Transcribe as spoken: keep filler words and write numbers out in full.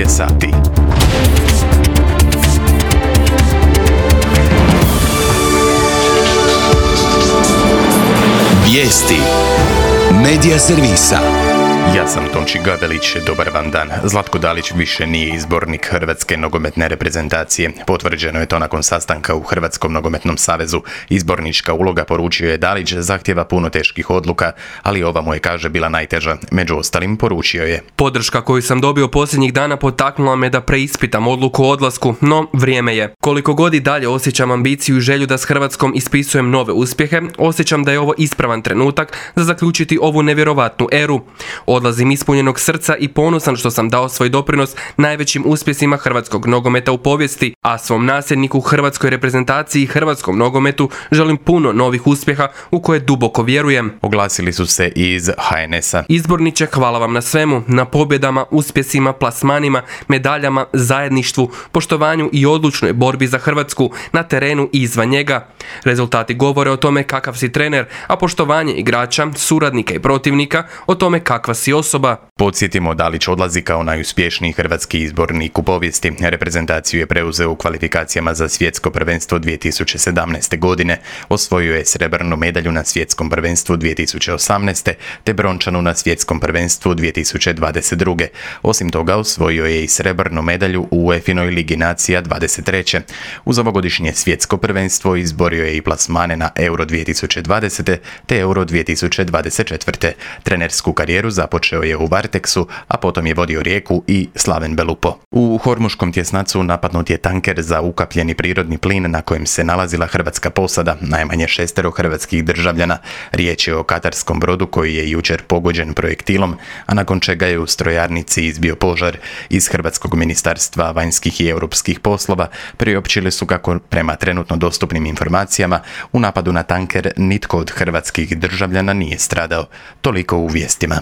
je sati. Vijesti Medija servisa. Ja sam Tonči Gavelić, dobar vam dan. Zlatko Dalić više nije izbornik Hrvatske nogometne reprezentacije. Potvrđeno je to nakon sastanka u Hrvatskom nogometnom savezu. Izbornička uloga, poručio je Dalić, zahtjeva puno teških odluka, ali ova mu je, kaže, bila najteža. Među ostalim poručio je: podrška koju sam dobio posljednjih dana potaknula me da preispitam odluku o odlasku, no vrijeme je. Koliko god i dalje osjećam ambiciju i želju da s Hrvatskom ispisujem nove uspjehe, osjećam da je ovo ispravan trenutak za zaključiti ovu nevjerovatnu eru. Odlazim ispunjenog srca i ponosan što sam dao svoj doprinos najvećim uspjesima hrvatskog nogometa u povijesti, a svom nasljedniku hrvatskoj reprezentaciji i hrvatskom nogometu želim puno novih uspjeha u koje duboko vjerujem. Oglasili su se i iz ha en esa. Izborniče, hvala vam na svemu, na pobjedama, uspjesima, plasmanima, medaljama, zajedništvu, poštovanju i odlučnoj borbi za Hrvatsku na terenu i izvan njega. Rezultati govore o tome kakav si trener, a poštovanje igrača, suradnika i protivnika o tome kakva si osoba. Podsjetimo, Dalić odlazi kao najuspješniji hrvatski izbornik u povijesti. Reprezentaciju je preuzeo u kvalifikacijama za svjetsko prvenstvo dvije tisuće sedamnaeste. godine. Osvojio je srebrnu medalju na svjetskom prvenstvu dvije tisuće osamnaeste. te brončanu na svjetskom prvenstvu dvije tisuće dvadeset druge. Osim toga, osvojio je i srebrnu medalju u UEFA-inoj Ligi nacija dvadeset treće. Uz ovogodišnje svjetsko prvenstvo izborio je i plasmane na Euro dvije tisuće dvadesete. te Euro dvije tisuće dvadeset četvrte. Trenersku karijeru započeo je u Varteksu, a potom je vodio Rijeku i Slaven Belupo. U Hormuškom tjesnacu napadnut je tanker za ukapljeni prirodni plin na kojem se nalazila hrvatska posada, najmanje šestero hrvatskih državljana. Riječ je o katarskom brodu koji je jučer pogođen projektilom, a nakon čega je u strojarnici izbio požar. Iz Hrvatskog ministarstva vanjskih i europskih poslova priopćili su kako, prema trenutno dostupnim informacijama, u napadu na tanker nitko od hrvatskih državljana nije stradao. Toliko u vijestima.